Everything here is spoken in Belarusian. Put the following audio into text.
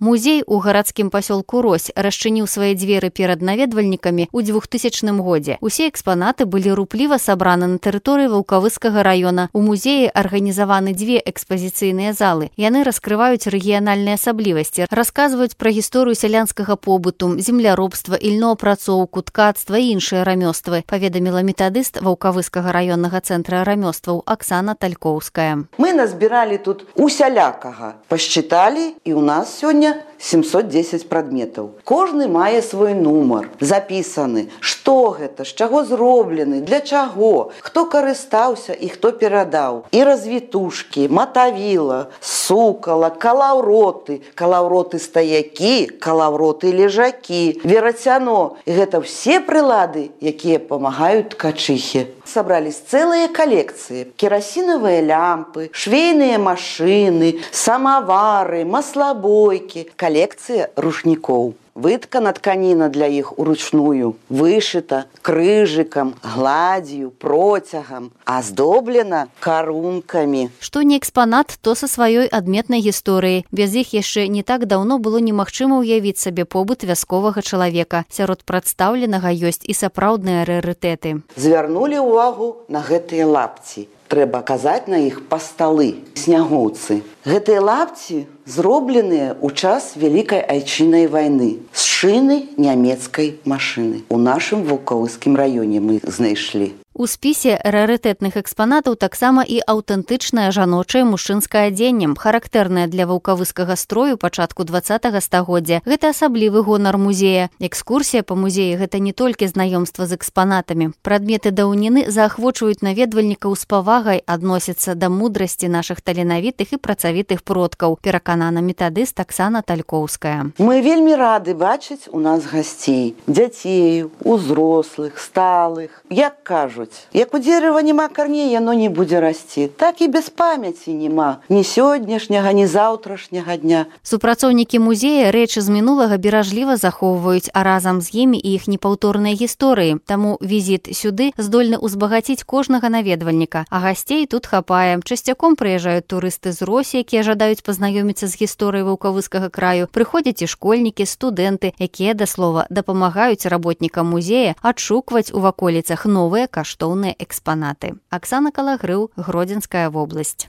Музей у гарадскім пасёлку Рось расчыніў свае дзверы перад наведвальнікамі ў 2000 годзе. Усе экспанаты былі рупліва сабраны на тэрыторыі Ваўкавыскага раёна. У музеі арганізаваны дзве экспазіцыйныя залы. Яны раскрываюць рэгіянальныя асаблівасці, расказваюць пра гісторыю сялянскага побыту, земляробства, ільноапрацоўку, ткацтва і іншыя рамёствы, паведаміла метадыст Ваўкавыскага раённага цэнтра рамёстваў Аксана Талькоўская. Мы назбіралі тут усялякага, пасчыталі, і ў нас сёння 710 прадметаў. Кожны мае свой нумар, запісаны, што гэта, з чаго зроблены, для чаго, хто карыстаўся і хто перадаў. І развітушкі, матавіла, сукала, калаўроты, калаўроты-стаякі, калаўроты-лежакі, верацяно. І гэта все прылады, якія памагаюць ткачыхе. Сабрались цэлыя калекцыі, керасінавыя лямпы, швейныя машыны, самавары, маслабойкі, калекцыя рушнікоў. Выткана тканіна для іх уручную, вышыта крыжыкам, гладзью, процягам, аздоблена карункамі. Што не экспанат, то са сваёй адметнай гісторыяй. Без іх яшчэ не так даўно было немагчыма ўявіць сабе побыт вясковага чалавека. Сярод прадстаўленага ёсць і сапраўдныя рарытэты. Звярнулі ўвагу на гэтыя лапці. Трэба казаць на іх пасталы, снягоўцы. Гэтыя лапці зробленыя ў час Вялікай Айчыннай вайны з шыны нямецкай машыны. У нашым Ваўкавыскім раёне мы знайшлі. У спісе рарытэтных экспанатаў таксама і аўтэнтычнае жаночае мужчынскае адзенне, характэрнае для ваўкавыскага строю пачатку 20-го стагоддзя. Гэта асаблівы гонар музея. Экскурсія па музеі – гэта не толькі знаёмства з экспанатамі. Прадметы даўніны заахвочваюць наведвальнікаў з павагай адносяцца да мудрасці нашых таленавітых і працавітых продкаў, пераканана метадыст Аксана Талькоўская. Мы вельмі рады бачыць у нас гасцей, дзяцей, узрослых, сталых. Як кажуць, як у дзерава няма карней, яно не будзе расці. Так і без памяці няма ні сённяшняга, ні заўтрашняга дня. Супрацоўнікі музея рэчы з мінулага беражліва захоўваюць, а разам з імі і іх непаўторныя гісторыі. Таму візіт сюды здольны ўзбагаціць кожнага наведвальніка. А гасцей тут хапае. Часцяком прыязджаюць турысты з Росі, якія жадаюць пазнаёміцца з гісторыяй Ваўкавыскага краю. Прыходзяць і школьнікі, студэнты, якія, да слова, дапамагаюць работнікам музея адшукваць у ваколіцах новыя каштоўныя экспанаты. Аксана Калагрыў, Гродзенская вобласць.